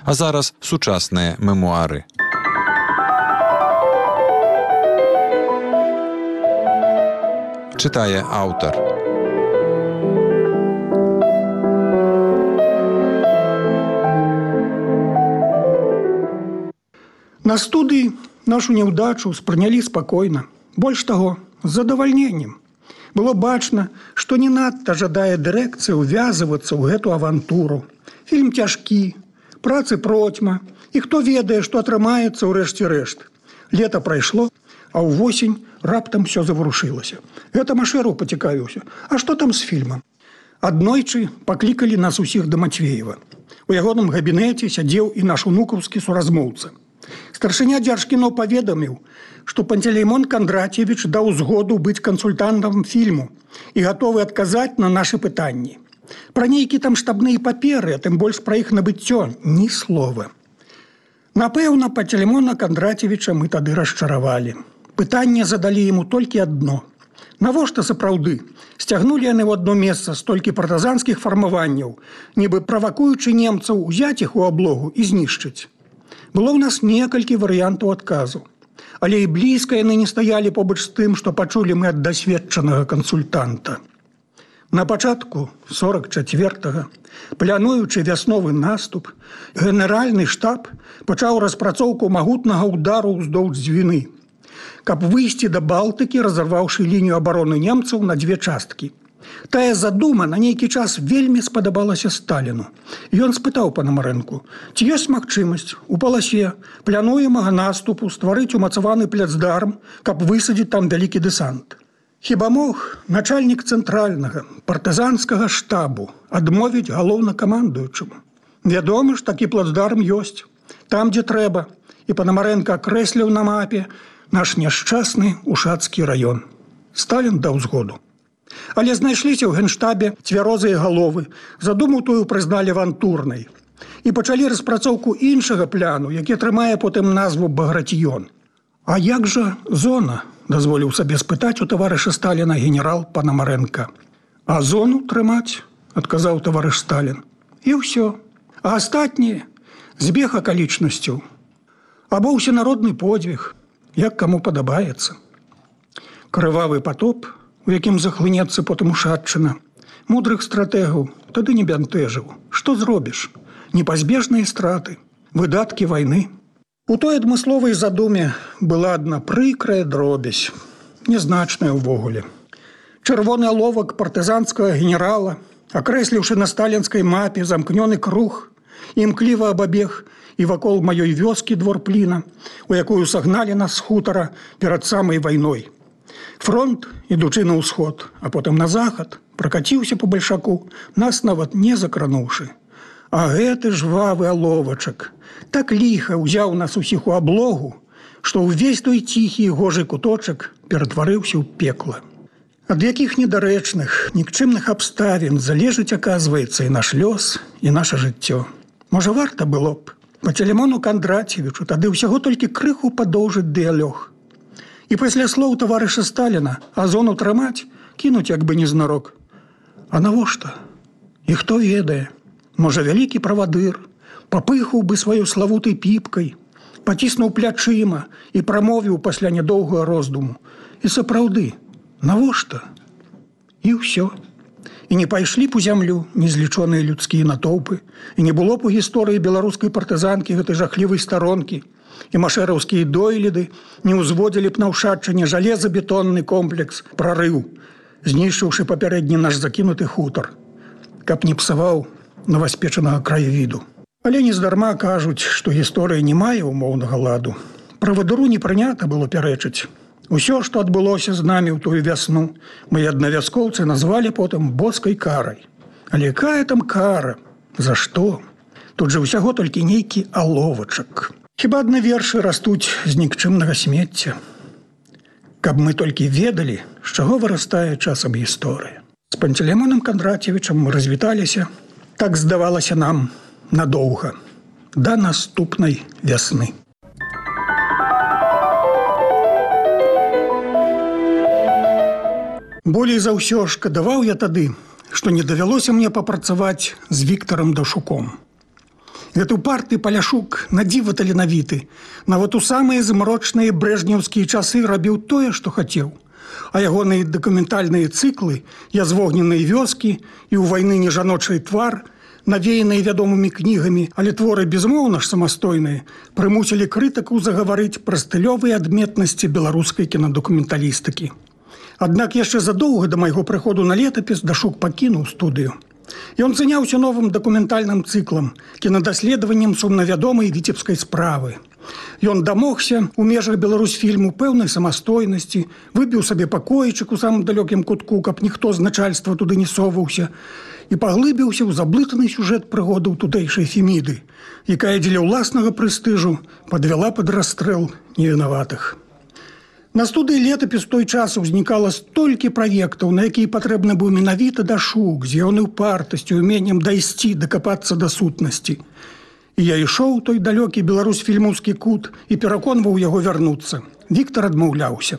А зараз сучасныя мемуары. Чытае аўтар. На студыі нашу няўдачу спрынялі спакойна. Больш таго, з задавальненнем. Было бачна, што не надта жадае дырэкцыя ўвязвацца ў гэту авантуру. Фільм цяжкі, працы процьма, і хто ведае, што атрымаецца ў рэшце рэшт. Лета прайшло, а ўвосень раптам усё заварушылася. Гэта Машэраў пацікавіўся. А што там з фільмам? Аднойчы паклікалі нас усіх да Мацвеева. У ягоным габінеце сядзеў і наш унукаўскі суразмоўца. Старшыня Дзяржкіно паведаміў, што Пантелеймон Кандрацевіч даў згоду быць кансультантам фільму і гатовы адказаць на нашы пытанні. Пра нейкі там штабныя паперы, а тым больш пра іх набыццё, ні слова. Напэўна, Пантелеймона Кандрацевіча мы тады расчаравалі. Пытанне задалі яму толькі адно. Навошта сапраўды сцягнулі яны ў адно месца столькі партызанскіх фармаванняў, нібы правакуючы немцаў узяць іх у аблогу і знішчыць. Было ў нас некалькі варыянтаў адказу. Але і блізка яны не стаялі побач з тым, што пачулі мы ад дасведчанага кансультанта. На пачатку 44-го, плануючы вясновы наступ, генеральны штаб пачаў распрацоўку магутнага ўдару ўздоўж Двіны, каб выйсці да Балтыкі, разарваўшы лінію абароны немцаў на дзве часткі. Тая задума на нейкі час вельмі спадабалася Сталіну. Ён спытаў Панамарэнку, ці ёсць магчымасць у паласе плануемага наступу стварыць умацаваны пляцдарм, каб высадзіць там вялікі дэсант. Хіба мог начальнік цэнтральнага партызанскага штабу адмовіць галоўнакамандуючаму? Вядома ж, такі плацдарм ёсць. Там, дзе трэба. І Панамарэнка акрэсліў на мапе наш няшчасны Ушацкі раён. Сталін даў згоду. Але знайшліся ў генштабе цвярозыя галовы, задуму тую прызналі авантурнай. І пачалі распрацоўку іншага пляну, які атрымае потым назву «Багратіён». А як жа зона, дазволіў сабе спытаць у таварыша Сталіна генерал Панамарэнка. А зону трымаць, адказаў таварыш Сталін. І ўсё. А астатніе збег акалічнасцяў. Або ўсенародны подзвіг, як каму падабаецца. Крывавы патоп, у якім захлынецца потым Ушатчына, мудрых стратэгаў тады не бянтэжыў. Што зробіш? Непазбежныя страты, выдаткі вайны. У той адмысловай задуме была адна прыкрая дробязь, нязначная ўвогуле. Чырвоны аловак партызанскага генерала, акрэсліўшы на сталінскай мапе замкнёны круг, імкліва абабег і вакол маёй вёскі двор Пліна, у якую сагналі нас з хутара перад самай вайной. Фронт, ідучы на ўсход, а потым на захад, пракаціўся па бальшаку, нас нават не закрануўшы. А гэты жвавы аловачак так ліха ўзяў нас усіх у аблогу, што ўвесь той ціхі і гожы куточак ператварыўся ў пекла. Ад якіх недарэчных, нікчымных абставін залежыць, аказваецца, і наш лёс, і наша жыццё. Можа, варта было б Пантелеймону Кандрацевічу тады ўсяго толькі крыху падоўжыць дыялог. І пасля слоў таварыша Сталіна, а зону трымаць, кінуць як бы незнарок. А навошта? І хто ведае? Можа, вялікі правадыр папыхаў бы сваёй славутай піпкай, паціснуў плячыма і прамовіў пасля нядоўгага роздуму. І сапраўды, навошта? І ўсё. І не пайшлі б у зямлю незлічоныя людскія натоўпы, і не было б у гісторыі беларускай партызанкі гэтай жахлівай старонкі, і машэраўскія дойліды не ўзводзілі б на Ушатчыне жалезабетонны комплекс «Прарыў», знішчыўшы папярэдні наш закінуты хутар, каб не псаваў новаспечанага краявіду. Але нездарма кажуць, што гісторыя не мае умоўнага ладу. Правадыру не прынята было пярэчыць. Усё, што адбылося з намі ў тую вясну, мы аднавяскоўцы назвалі потым боскай карай. Але якая там кара? За што? Тут жа ўсяго толькі нейкі аловачак. Хіба адны вершы растуць з нікчымнага смецця. Каб мы толькі ведалі, з чаго вырастае часам гісторыя. З Пантелеймонам Кандрацевічам мы развіталіся, так здавалася нам, надоўга, да наступнай вясны. Болей за ўсё шкадаваў я тады, што не давялося мне папрацаваць з Віктарам Дашуком. Гэты упарты Паляшук надзіва таленавіты. Нават у самыя змрочныя брэжнеўскія часы рабіў тое, што хацеў. А ягоныя дакументальныя цыклы «Я з вогненнай вёскі» і «У вайны не жаночай твар», навеяныя вядомымі кнігамі, але творы безмоўна ж самастойныя, прымусілі крытыкаў загаварыць пра стылёвыя адметнасці беларускай кінадакументалістыкі. Аднак яшчэ задоўга да майго прыходу на летапіс Дашук пакінуў студыю. Ён заняўся новым дакументальным цыклам, кінадаследаваннем сумнавядомай віцебскай справы. Ён дамогся у межах Беларусьфільму пэўнай самастойнасці, выбіў сабе пакоечак у самым далёкім кутку, каб ніхто з начальства туды не соваўся, і паглыбіўся ў заблытаны сюжэт прыгодаў тутэйшай Феміды, якая дзеля ўласнага прэстыжу падвяла пад расстрэл невінаватых. На студыі летапіс той час узнікала столькі праектаў, на якія патрэбны быў менавіта Дашук з ягонай упартасцю і уменнем дайсці, дакапацца да сутнасці. І я ішоў у той далёкі беларусфільмаўскі кут і пераконваў яго вярнуцца. Віктар адмаўляўся.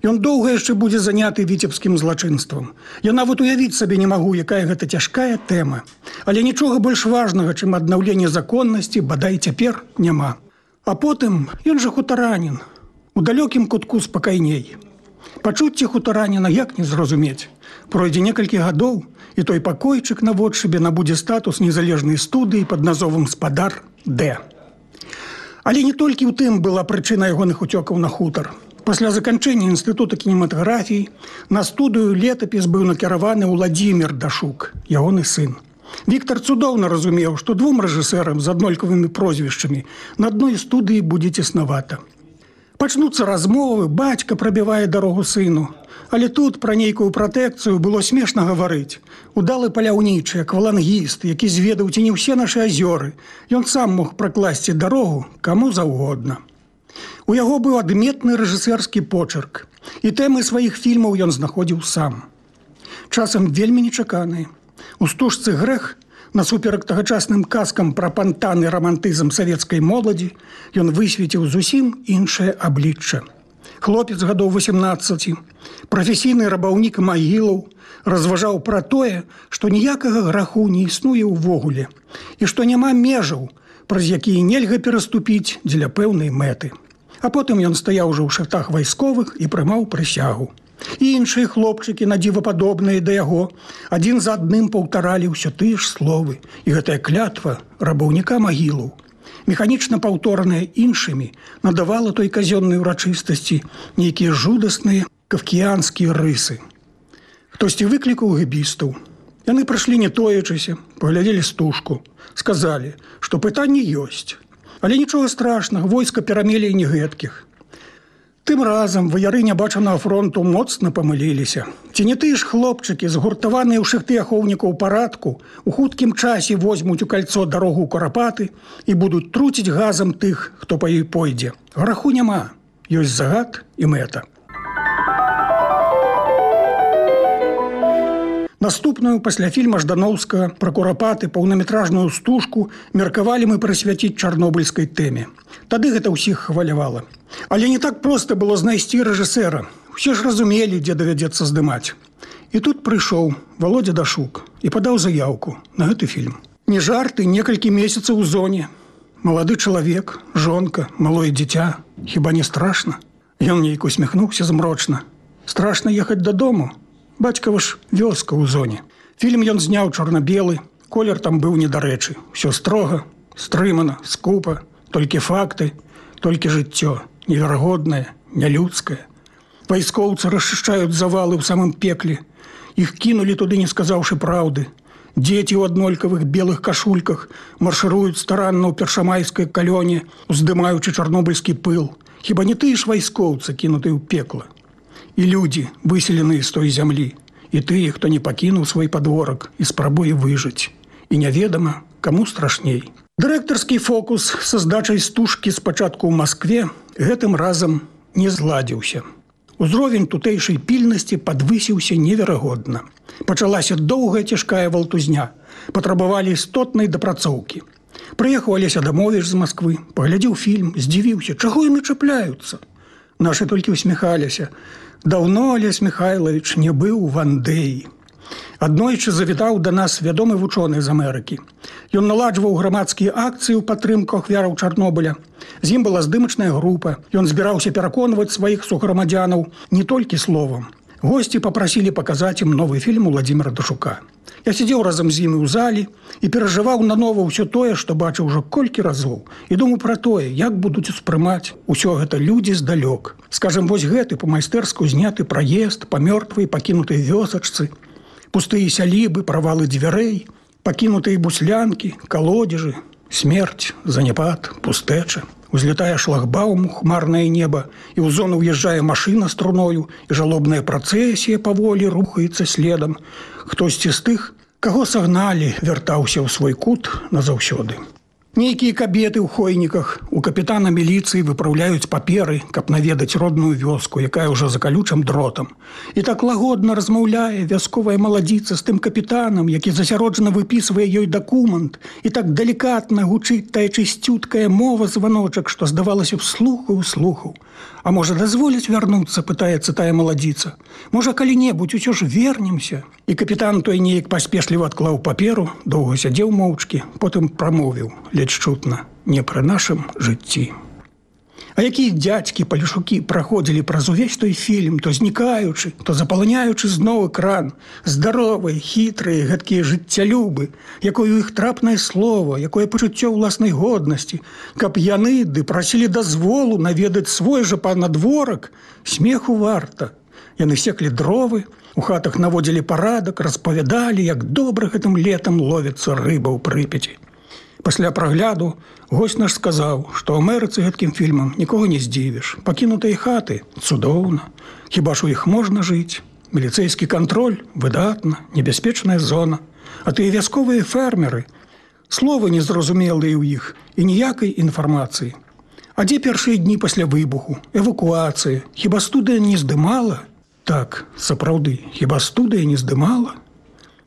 Ён доўга яшчэ будзе заняты віцебскім злачынствам. Я нават уявіць сабе не магу, якая гэта цяжкая тэма. Але нічога больш важнага, чым аднаўленне законнасці, бадай цяпер няма. А потым ён жа хутаранін. У далёкім кутку спакайней. Пачуцці хутараніна як не зразумець. Пройдзе некалькі гадоў, і той пакойчык наводшыбе набудзе статус незалежнай студыі пад назвам «Спадар Д». Але не толькі ў тым была прычына ягоных уцёкаў на хутар. Пасля заканчэння інстытута кінематаграфіі на студыю летапіс быў накіраваны Уладзімір Дашук, ягоны сын. Віктар цудоўна разумеў, што двум рэжысэрам з аднолькавымі прозвішчамі на адной студыі будзе цеснавата. Пачнуцца размовы, бацька прабівае дарогу сыну. Але тут пра нейкую пратэкцыю было смешна гаварыць. Удалы паляўнічы, аквалангіст, які зведаў ці не ўсе нашы азёры. Ён сам мог пракласці дарогу каму заўгодна. У яго быў адметны рэжысэрскі почырк. І тэмы сваіх фільмаў ён знаходзіў сам. Часам вельмі нечаканыя. У стужцы «Грэх» насуперак тагачасным казкам пра пантаны рамантызм савецкай моладзі, ён высветіў зусім іншае аблічча. Хлопец гадоў 18, прафесійны рабаўнік магілаў, разважаў пра тое, што ніякага граху не існуе ўвогуле і што няма межаў, праз якія нельга пераступіць дзеля пэўнай мэты. А потым ён стаяў ужо ў шатах вайсковых і прымаў прысягу. І іншыя хлопчыкі, надзівападобныя да яго, адзін за адным паўтаралі ўсё тыя ж словы. І гэтая клятва рабаўніка магілаў, механічна паўтораная іншымі, надавала той казённай урачыстасці нейкія жудасныя кафкіянскія рысы. Хтосьці выклікаў гэбістаў. Яны прыйшлі не тоячыся, паглядзелі стужку, сказалі, што пытанні ёсць. Але нічога страшнага, войска перамелі і не гэткіх. Тым разам ваяры нябачанага фронту моцна памыліліся. Ці не тыя ж хлопчыкі, згуртаваныя ў шыхты ахоўнікаў парадку, у хуткім часе возьмуць у кальцо дарогу ў Курапаты і будуць труціць газам тых, хто па ёй пойдзе. Граху няма, ёсць загад і мэта. Наступную пасля фільма Ждановскага пра Курапаты паўнаметражную стужку меркавалі мы прысвяціць чарнобыльскай тэме. Тады гэта ўсіх хвалявала. Але не так проста было знайсці рэжысэра. Усе ж разумелі, дзе давядзецца здымаць. І тут прыйшоў Володя Дашук і падаў заяўку на гэты фільм. Не жарты, некалькі месяцаў у зоне. Малады чалавек, жонка, малое дзіця. Хіба не страшна? Ён нейк усміхнуўся змрочна. Страшна ехаць дадому? Бацькава ж вёска ў зоне. Фільм ён зняў чорна-белы, колер там быў недарэчы. Усё строга, стрымана, скупа, толькі факты, толькі жыццё, неверагоднае, нялюдскае. Вайскоўцы расчышчаюць завалы ў самым пекле. Іх кінулі туды, не сказаўшы праўды. Дзеці ў аднолькавых белых кашульках маршыруюць старанна ў першамайскай калёне, уздымаючы чарнобыльскі пыл. Хіба не тыя ж вайскоўцы, кінутыя ў пекла? І людзі, выселеныя з той зямлі, і тыя, хто не пакінуў свой падворак і спрабуе выжыць. І няведама, каму страшней. Дырэктарскі фокус са здачай стужкі спачатку ў Маскве гэтым разам не зладзіўся. Узровень тутэйшай пільнасці падвысіўся неверагодна. Пачалася доўгая цяжкая валтузня. Патрабавалі істотнай дапрацоўкі. Прыехаў Алеся Адамовіч з Масквы, паглядзеў фільм, здзівіўся, чаго яны чапляюцца. Нашы толькі усміхаліся. Даўно Алесь Михайлович не быў у Вандеі. Аднойчы завітаў да нас вядомы вучоны з Амерыкі. Ён наладжваў грамадскія акцыі ў падтрымку ахвяраў Чарнобыля. З ім была здымачная група. Ён збіраўся пераконваць сваіх суграмадзянаў не толькі словам. Госці папрасілі паказаць ім новы фільм Уладзіміра Дашука. Я сидзеў разам з імі ў залі і перажываў нанова ўсё тое, што бачыў ужо колькі разоў. І думаў пра тое, як будуць успрымаць усё гэта людзі здалёк. Скажам, вось гэты па-майстэрску зняты праезд па мёртвай пакінутай вёсачцы, пустыя сялібы, правалы дзвярэй, пакінутыя буслянкі, калодзежы, смерць, заняпад, пустэча. Узлетае шлагбаум у хмарнае неба, і ў зону ўязджае машына з труною, і жалобная працэсія паволі рухаецца следам. Хтосьці з тых, каго сагналі, вяртаўся ў свой кут назаўсёды. Нейкія кабеты ў хойніках у капітана міліцыі выпраўляюць паперы, каб наведаць родную вёску, якая ўжо за калючым дротам. І так лагодна размаўляе вясковая маладзіца з тым капітанам, які засяроджана выпісвае ёй дакумент, і так далікатна гучыць тая чысцюткая мова званочак, што здавалася б слухаў. А можа, дазволяць вярнуцца, пытаецца тая маладзіца. Можа, калі-небудзь усё ж вернемся. І капітан той неяк паспешліва адклаў паперу, доўга сядзеў моўчкі, потым прамовіў, ледзь чутна, не пры нашым жыцці. А якія дзядзькі, палішукі праходзілі праз увесь той фільм, то знікаючы, то запаланяючы зноў экран, здаровыя, хітрыя, гэткія жыццялюбы, якое у іх трапнае слово, якое пачуццё ўласнай годнасці, каб яны ды прасілі дазволу наведаць свой жа панадворак, смеху варта. Яны секлі дровы, у хатах наводзілі парадак, распавядалі, як добра гэтым летам ловіцца рыба ў Прыпяці. Пасля прагляду госць наш сказаў, што ў Амерыцы гэткім фільмам нікога не здзівіш. Пакінутыя хаты цудоўна. Хіба ж у іх можна жыць? Міліцэйскі кантроль выдатна, небяспечная зона. А тыя вясковыя фермеры, словы незразумелыя ў іх і ніякай інфармацыі. А дзе першыя дні пасля выбуху? Эвакуацыя. Хіба студыя не здымала? Так, сапраўды, хіба студыя не здымала?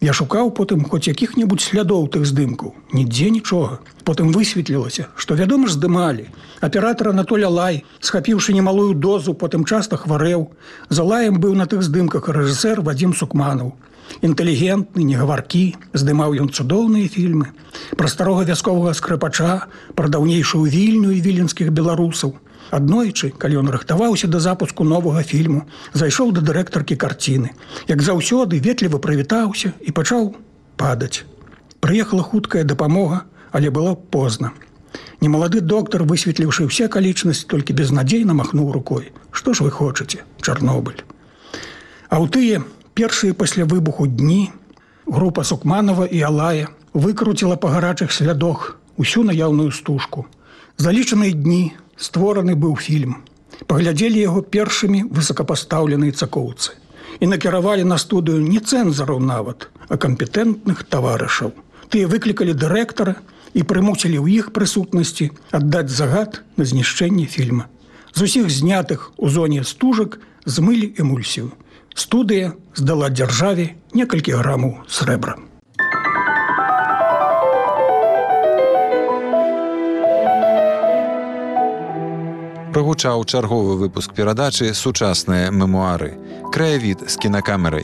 Я шукаў потым хоць якіх-небудзь слядоў тых здымкаў. Нідзе нічога. Потым высветлілася, што, вядома ж, здымалі. Аператар Анатоль Алай, схапіўшы немалую дозу, потым часта хварэў. За Алаем быў на тых здымках рэжысэр Вадзім Сукманаў. Інтэлігентны, негаваркі, здымаў ён цудоўныя фільмы. Пра старога вясковага скрыпача, пра даўнейшую вільню і віленскіх беларусаў. Аднойчы, калі ён рыхтаваўся да запуску новага фільму, зайшоў да дырэктаркі карціны. Як заўсёды, ветліва прывітаўся і пачаў падаць. Прыехала хуткая дапамога, але было позна. Немалады доктар, высветліўшы ўсе акалічнасці, толькі безнадзейна махнуў рукой. Што ж вы хочаце, Чарнобыль? А ў тыя першыя пасля выбуху дні група Сукманова і Алая выкруціла па гарачых слядах усю наяўную стужку. За лічаныя дні створаны быў фільм. Паглядзелі яго першымі высокапастаўленыя цакоўцы. І накіравалі на студыю не цэнзараў нават, а кампетэнтных таварышаў. Тыя выклікалі дырэктара і прымусілі ў іх прысутнасці аддаць загад на знішчэнне фільма. З усіх знятых у зоне стужак змылі эмульсію. Студыя здала дзяржаве некалькі грамаў срэбра. Прагучаў чарговы выпуск перадачы «Сучасныя мемуары». Краявід з кінакамерай.